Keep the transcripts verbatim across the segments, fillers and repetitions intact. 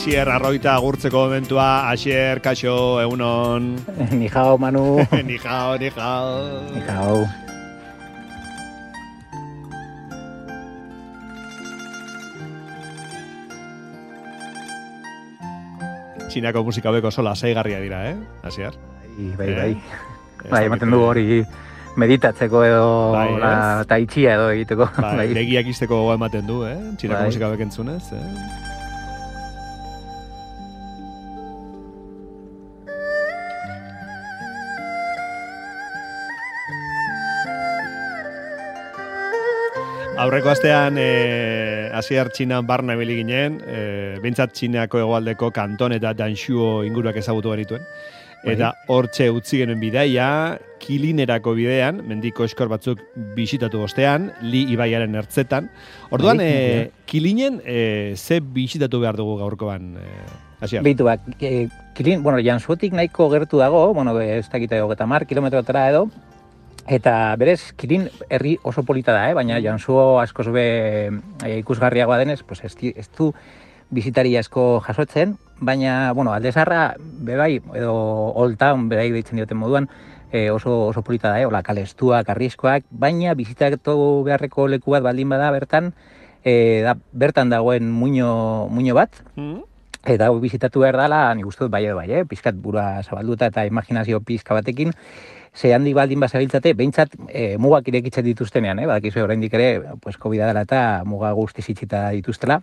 Asier Arroita agurtzeko momentua. Asier, kaixo, egunon. Ni jao, Manu. Ni jao, ni jao. Ni jao. Txinako musika beko sola saigarria dira, eh? Asier? Bai, bai, bai. Bai, ematen du hori meditatzeko edo la taitxia edo egiteko. Bai, begiak izteko gogo ematen du, eh? Txinako musika bek entzunez, eh? Aurreko astean, eh, Asier Txinan barna ibili ginen, eh, bintzat Txinako hegoaldeko Kanton eta Danshuo inguruak ezagutu genituen. Eta hortxe utzi genuen bidaia, Kilinerako bidean, mendiko eskor batzuk bisitatu ostean, Li ibaiaren ertzetan. Orduan, eh, Kilinen eh, ze bisitatu behar dugu gaurkoan, eh, Asier? Bitu, bak, eh, Kilin, bueno, Jansuotik nahiko gertu dago, bueno, ez dakite hogeita hamar kilometrotara edo, eta berez, Kilin herri oso polita da, eh? Baina Jansuo askoz be e, ikusgarriagoa denez, pues ez, ez du bizitari asko jasotzen, baina, bueno, alde zarra, bebai, edo Old Town, bebai deitzen dioten moduan, e, oso, oso polita da, eh? Ola, kalestuak, arriskoak, baina bizitatu beharreko leku bat baldin bada bertan, e, da, bertan dagoen muino, muino bat, mm. Eta bizitatu behar dela, nik uste dut bai edo bai, eh? Pizkat burua zabalduta eta imaginazio pizka batekin, ze handi baldin bazabiltzate, behintzat e, mugak irekitzen dituztenean, eh? Badakizu oraindik ere, pues, COVID dela eta muga guztiz itxita dituztela.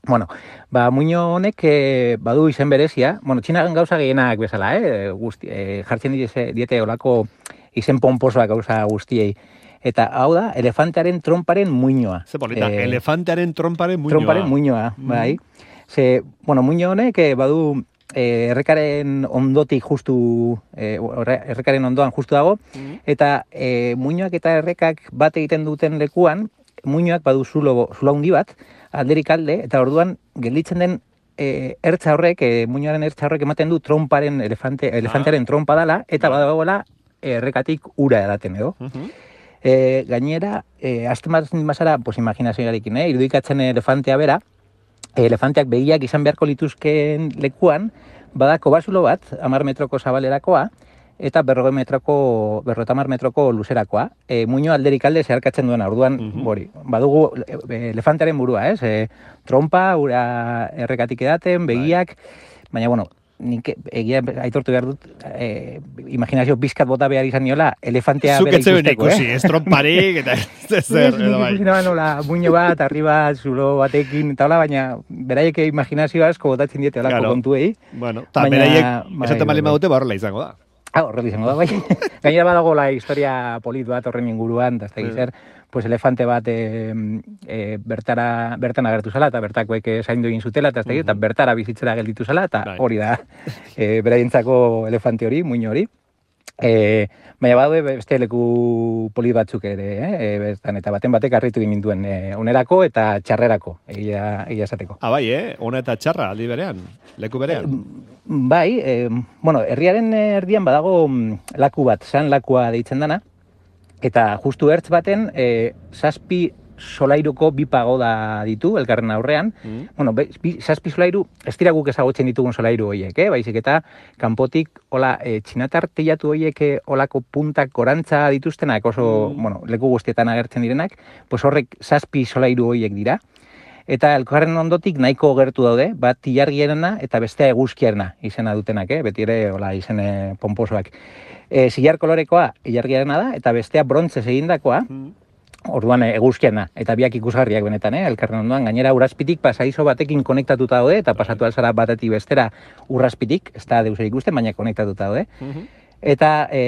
Bueno, ba, muino honek e, badu izen berezia, bueno, Txinagan gauza gehienak bezala, eh? Guzti, e, jartzen diete, diete olako izen pomposoak gauza guztiei. Eta hau da, elefantearen tromparen muinoa. Ze polita, e, elefantearen tromparen muinoa. Tromparen muinoa, mm. bai. Ze, bueno, muino honek e, badu e, errekaren ondotik justu, e, errekaren ondoan justu dago, mm. eta e, muinoak eta errekak bat egiten duten lekuan, muinoak badu zulo, zulo handi bat, alderik alde, eta orduan gelditzen den e, ertza horrek, e, muinoaren ertza horrek ematen du tromparen, elefante, elefantearen ah. trompa dala, eta badagoela errekatik ura edaten edo. Uh-huh. E, gainera, e, azten bat bazara, pues, imaginazioarekin, eh? Irudikatzen elefantea bera, elefanteak begiak izan beharko lituzkeen lekuan, badako bazulo bat, hamar metroko zabalerakoa, eta berrogei metroko, berrogei hamar metroko luzerakoa. E, muino alderik alde zeharkatzen duena, orduan, uh-huh. bori, badugu elefantearen burua, ez? E, trompa, ura errekatik edaten, begiak, baina, bueno, nik egia aitortu behar dut, e, imaginazio bizkat bota behar izan niola, elefantea bera ikusteko, eh? Ikusi, ez tromparik, eta ez zer, edo bai. Nik ikusi nola, muino bat, arriba, zulo batekin, eta hola, baina beraiek imaginazio asko botatzen diete olako claro. kontuei. Bueno, eta beraiek esaten bali madute, ba horrela izango da. Ah, horrela izango da, bai. Gainera badago la historia polit bat horren inguruan, eta ez da gizar, pues elefante bat e, e, bertara, bertan agertu zela, eta bertakoek zaindu egin zutela, eta ez da gizar, eta bertara bizitzera gelditu zela, eta hori da, e, beraientzako elefante hori, muino hori. E, baina badue beste leku polit batzuk ere, eh? E, eta baten batek harritu ginduen e, onerako eta txarrerako, egia, egia esateko. Ah, bai, eh? Ona eta txarra, aldi berean, leku berean. E, bai, e, bueno, herriaren erdian badago laku bat, san lakua deitzen dana, eta justu ertz baten, e, zazpi solairuko bi pagoda ditu, elkarren aurrean. Mm. Bueno, bi, zazpi solairu, ez dira guk ezagutzen ditugun solairu horiek, eh? Baizik eta kanpotik, hola, e, txinatar teiatu horiek olako puntak gorantza dituztenak, oso, mm. bueno, leku guztietan agertzen direnak, pues horrek zazpi solairu horiek dira. Eta elkarren ondotik nahiko gertu daude, bat ilargiarena eta bestea eguzkiarena izena dutenak, eh? Beti ere, hola, izene pomposoak. E, zilar kolorekoa ilargiarena da, eta bestea brontzez egindakoa, mm. orduan eguzkiana, eta biak ikusgarriak benetan, eh? Elkarren ondoan, gainera urrazpitik pasaizo batekin konektatuta daude, eta pasatu alzara batetik bestera urrazpitik, ez da deusera ikusten, baina konektatuta daude. Mm-hmm. Eta e,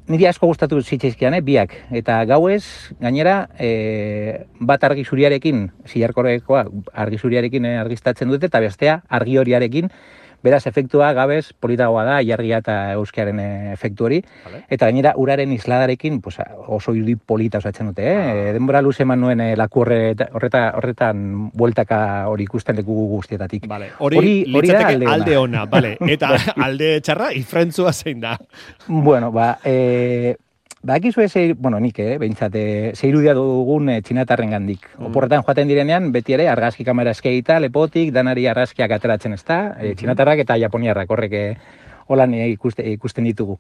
niri asko gustatu zitzaizkian, eh? Biak, eta gauez, gainera, e, bat argi zuriarekin, zilarkorekoa argi zuriarekin argiztatzen dute, eta bestea argi horiarekin, beraz, efektua gabez politagoa da, ilargia eta euskiaren efektu hori. Vale. Eta gainera, uraren isladarekin pues, oso irudi polita osatzen dute. Eh? Ah. Denbora luze eman nuen eh, laku horreta, horreta, horretan bueltaka hori ikusten leku guztietatik. Vale. Hori, hori litzateke alde ona. Vale. Eta alde txarra, ifrentzua zein da. Bueno, ba, e, Bakizu ez, bueno, nik, eh, behintzat, eh, zeirudia dugun eh, txinatarren gandik. Mm. Oporretan joaten direnean, beti ere, argazki kamera eskeita, lepotik, danari argazkiak ateratzen ez da, eh, txinatarrak eta japoniarrak horrek eh, holan eh, ikuste, ikusten ditugu.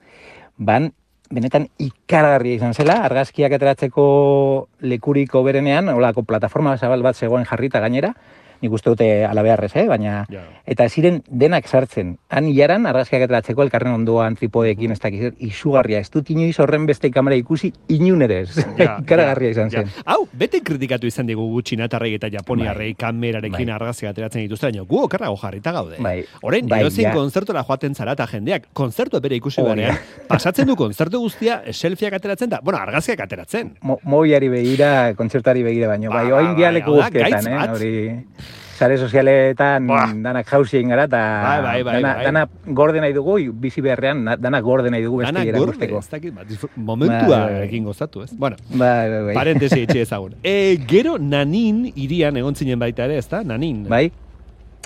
Ban, benetan ikaragarria izan zela, argazkiak ateratzeko lekuriko berenean, holako plataforma zabal bat zegoen jarrita gainera, nik uste dute alabearrez, eh? Baina, yeah. Eta ziren denak sartzen. Han hilaran, argazkiak ateratzeko elkarren ondoan, tripodekin, ez dakiz, izugarria. Ez dut inoiz horren beste kamera ikusi, inun ere ez. Yeah, ikaragarria izan zen. Yeah. Hau, bete kritikatu izan digu gu txinatarrei eta japoniarrei bai. Kamerarekin bai. Argazkiak ateratzen dituzte, baina gu okerrago jarrita gaude. Bai. Orain, bai, edozein ja. Konzertora joaten zara eta jendeak, konzertu bere ikusi oh, berean, ja. Pasatzen du konzertu guztia, selfieak ateratzen da, bueno, argazkiak ateratzen. Mo, mobiari begira, kontzertari begira baino, ba, bai, oain dia leku guztietan, eh, hori... Sare sozialetan bah. Danak jauzien gara, eta bai, bai, bai, dana, bai. dana gorde nahi dugu, bizi beharrean, danak gorde nahi dugu beste erakusteko. Dana gorde, momentua ba, ekin gozatu, ez? Bueno, ba, ba, ba. Parentesi etxe ezagun. E, gero Nanin irian egon zinen baita ere, ez da? Nanin. Bai.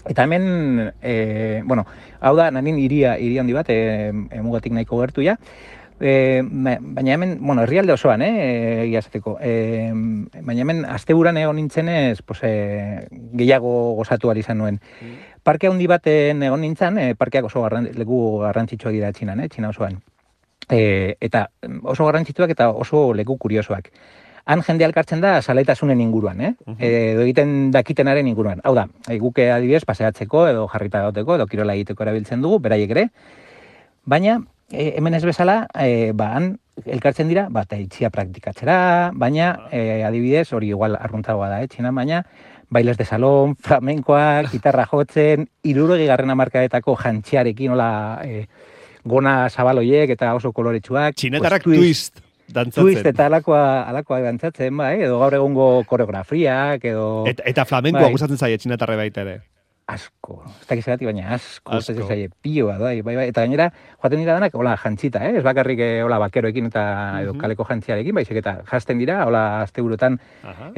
Eta hemen, e, bueno, hau da, Nanin iria, iria handi bat, e, mugatik nahiko gertu ja. E, baina hemen, bueno, herrialde osoan, eh, egia esateko. E, baina hemen, asteburan egon nintzenez, pues, e, gehiago gozatu ari izan nuen. Mm. Parke handi baten egon nintzen, e, parkeak oso garran, leku garrantzitsuak dira Txinan, eh, Txina osoan. E, eta oso garrantzitsuak eta oso leku kuriosoak. Han jende alkartzen da zaleitasunen inguruan, eh? Uh-huh. Edo egiten dakitenaren inguruan. Hau da, guke adibidez paseatzeko edo jarrita gauteko edo kirola egiteko erabiltzen dugu, beraiek ere. Baina, E, hemen ez bezala, e, ba, han elkartzen dira, bat itxia praktikatzera, baina e, adibidez, hori igual arruntagoa da, eh, Txinan, baina bailes de salon, flamenkoak, gitarra jotzen, hirurogei garren hamarkadetako jantxiarekin, hola, e, gona zabaloiek eta oso koloretsuak. Txinetarrak pues, twist, twist dantzatzen. Twist eta alakoa, alakoa dantzatzen, bai, edo gaur egungo koreografiak, edo... Eta, eta flamenkoa bai. Gustatzen zaie txinetarre baita ere. Asko, ez dakiz egatik, baina asko, ez dakiz zaie, pioa, bai, bai, bai, eta gainera, joaten dira danak, hola, jantzita, eh? Ez bakarrik, hola, bakeroekin eta edo kaleko jantziarekin, baizik eta jasten dira, hola, asteburutan,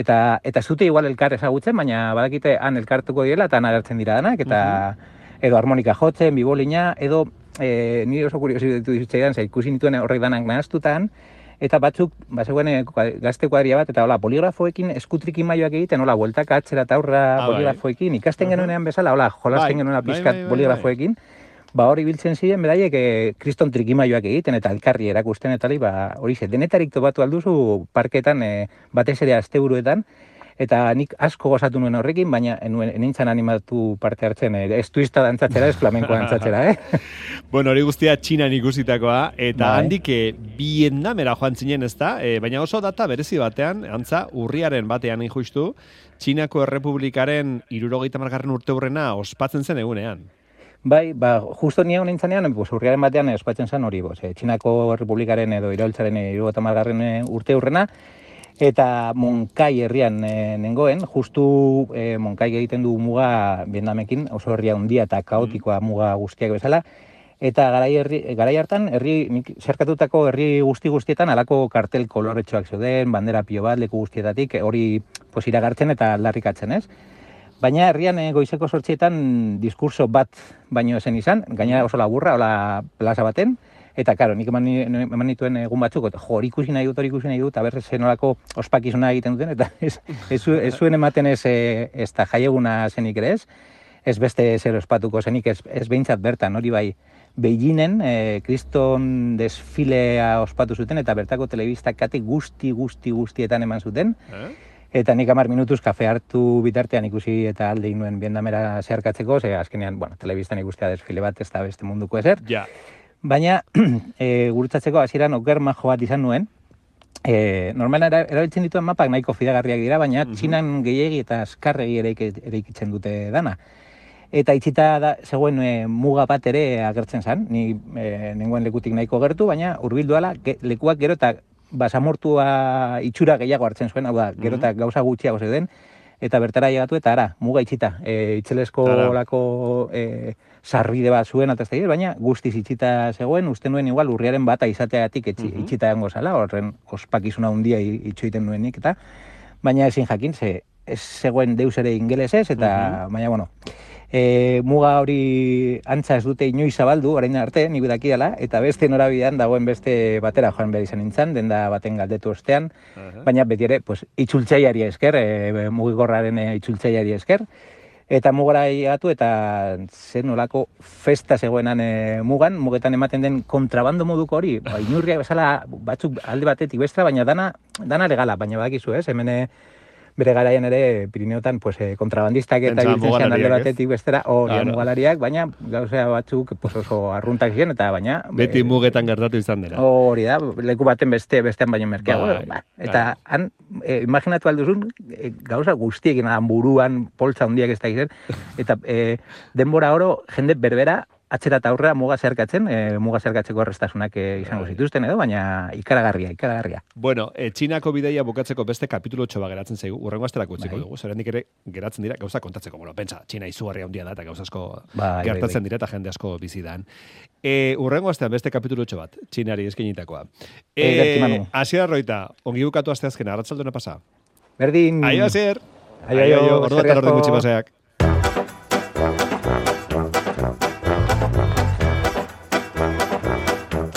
eta, eta zute igual elkar ezagutzen, baina badakite han elkartuko direla, eta han agertzen dira danak, eta edo harmonika jotzen, bibolina, edo, e, nire oso kuriosi ditu dizitzaidan, ze ikusi nituen horrek danak nahaztutan, eta batzuk, bazegoen gazte kuadria bat, eta hola, poligrafoekin eskutrikin maioak egiten, hola, bueltaka atzera eta aurra ah, poligrafoekin, ikasten uh-huh. genuenean bezala, hola, jolasten genuena pizkat poligrafoekin, ba hori biltzen ziren, beraiek kriston trikimaioak egiten, eta elkarri erakusten, eta ba, hori ze, denetarik topatu alduzu parketan, e, batez ere asteburuetan, eta nik asko gozatu nuen horrekin, baina nintzen animatu parte hartzen, ez twista dantzatzera, ez flamenkoa dantzatzera, eh? Bueno, hori guztia Txinan ikusitakoa, eta bai. Handik Vietnamera joan zinen ez da, e, baina oso data berezi batean, antza, urriaren batean injustu, Txinako Errepublikaren hirurogeita hamargarren urte hurrena ospatzen zen egunean. Bai, ba, justo nire honintzanean, pues, urriaren batean ospatzen zen hori, boz, eh, Txinako Errepublikaren edo iraultzaren hirurogeita hamargarren urte hurrena, eta Monkai herrian e, nengoen, justu e, Monkai egiten du muga Vietnamekin, oso herria handia eta kaotikoa muga guztiak bezala, eta garai, herri, garai hartan, herri, zerkatutako herri guzti guztietan alako kartel koloretxoak zeuden, bandera pio bat leku guztietatik, hori pues, iragartzen eta aldarrikatzen, ez? Baina herrian e, goizeko sortzietan diskurso bat baino zen izan, gainera oso laburra, hola plaza baten, eta, karo, nik eman, eman nituen egun batzuk, eta jo, hori ikusi nahi dut, hori ikusi nahi dut, eta berrez zenolako ospakizuna egiten duten, eta ez, ez, ez zuen ematen ez, ez da jaieguna zenik ere ez, ez beste zer ospatuko zenik, ez, ez behintzat bertan, hori bai, Beijingen, e, kriston desfilea ospatu zuten, eta bertako telebistak kate guzti, guzti, guztietan eman zuten, eh? Eta nik hamar minutuz kafe hartu bitartean ikusi eta alde nuen Vietnamera zeharkatzeko, ze azkenean, bueno, telebistan ikustea desfile bat, ez da beste munduko ezer. Ja. Baina, e, gurutzatzeko hasieran oker majo bat izan nuen, e, normalan erabiltzen dituen mapak nahiko fidagarriak dira, baina uh-huh. Txinan gehiegi eta azkarregi eraikitzen dute dana. Eta itxita da, zegoen e, muga bat ere agertzen zen, ni e, nengoen lekutik nahiko gertu, baina hurbildu ala, ge, lekuak gero eta basamortua itxura gehiago hartzen zuen, hau da, gero eta gauza gutxiago zeuden, eta bertara llegatu eta ara, muga itxita, e, itxelesko lako e, sarbide bat zuen, eta ez da, baina guztiz itxita zegoen, uste nuen igual urriaren bata izateagatik etxi, uh-huh. itxita egongo zala, horren ospakizuna handia itxoiten nuenik, eta baina ezin jakin, ze ez zegoen deus ere ingelesez, eta uh-huh. baina, bueno, E, muga hori antza ez dute inoiz zabaldu, orain arte, nik dakiala, eta beste norabidean dagoen beste batera joan behar izan nintzen, denda baten galdetu ostean, uh-huh. baina beti ere, pues, itzultzaiari esker, e, mugigorraren e, itzultzaiari esker, eta mugara igatu eta zen nolako festa zegoenan e, mugan, mugetan ematen den kontrabando moduko hori, ba, inurriak bezala batzuk alde batetik bestra, baina dana, dana legala, baina badakizu ez, hemen bere garaian ere Pirineotan pues, eh, kontrabandistak eta biltzen alde batetik bestera, hori claro. mugalariak, baina gauzea batzuk pues, oso arruntak ziren, eta baina... Beti e, mugetan gertatu izan dira. Hori da, leku baten beste, bestean baino merkeago. Bai, ba. Eta bai. han, e, imaginatu alduzun, e, gauza guztiekin, buruan, poltza hundiak ez da izan, eta e, denbora oro, jende berbera, atzera eta aurrera muga zeharkatzen, e, muga zeharkatzeko errestasunak e, izango zituzten edo, baina ikaragarria, ikaragarria. Bueno, e, Txinako bidaia bukatzeko beste kapitulu txoba geratzen zaigu, urrengo asterak utziko bai. dugu, zerrendik ere geratzen dira gauza kontatzeko, bueno, pentsa, Txina izugarria handia da eta gauza asko bai, gertatzen bai, bai. dira eta jende asko bizidan. E, urrengo astean beste kapitulu bat, Txinari eskenitakoa. E, Asier Arroita, ongi bukatu asteazkena, arratsaldona pasa. Berdin. Aio, Asier. Aio, aio, orduan eta orduan gutxi paseak.